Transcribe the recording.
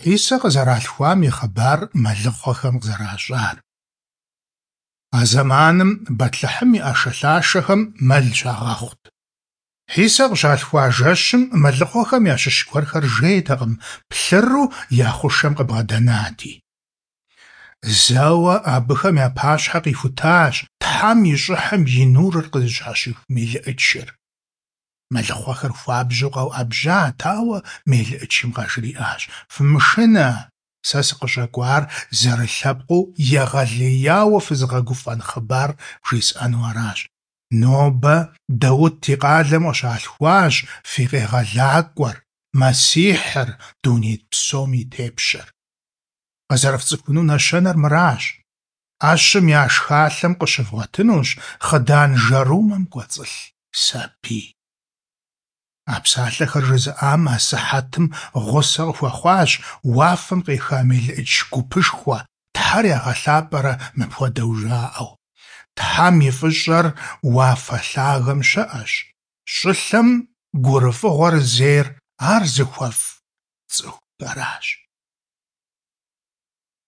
Хьисэ къызэралъхуам и хъыбар мэлыхъуэхэм къызэращӏар. А зэманым Бэтлъэхьым и ӏэшэлъашэхэм мэл щагъэхъут. Хьисэ къыщалъхуа жэщым мэлыхъуэхэм ящыщ гуэрхэр жейтэкъым, плъыру я хъушэм къыбгъэдэнати. Зэуэ абыхэм я пащхьэ къихутащ Тхьэм и щӏыхьым и нурыр къызыщхьэщих мелыӏычыр. Мэлыхъуэхэр хуабжьу къэуӏэбжьат, ауэ мелыӏычым къажриӏащ: «Фымышынэ, сэ сыкъыщӏэкӏуар зэрылъэпкъыу егъэлеяуэ фызыгъэгуфӏэн хъыбар вжесӏэну аращ. Нобэ Даут и къалэм къыщалъхуащ фи Къегъэлакӏуэр, Мэссихьыр, дуней псом и тепщэр. Къызэрыфцӏыхуну нэщэнэр мыращ: ӏэщым я шхалъэм къыщывгъуэтынущ хъыдан жэрумэм кӏуэцӏылъ сабий». А псалъэхэр жызыӏам асыхьэтым гъусэ къыхуэхъуащ уафэм къеха мелыӏыч гупышхуэ, Тхьэр ягъэлъапӏэрэ мыпхуэдэу жаӏэу: Тхьэм и фӏыщӏэр уафэ лъагэм щыӏэщ, щӏылъэм гурыфӏыгъуэр зейр ар зыхуэфӏ цӏыхухэращ.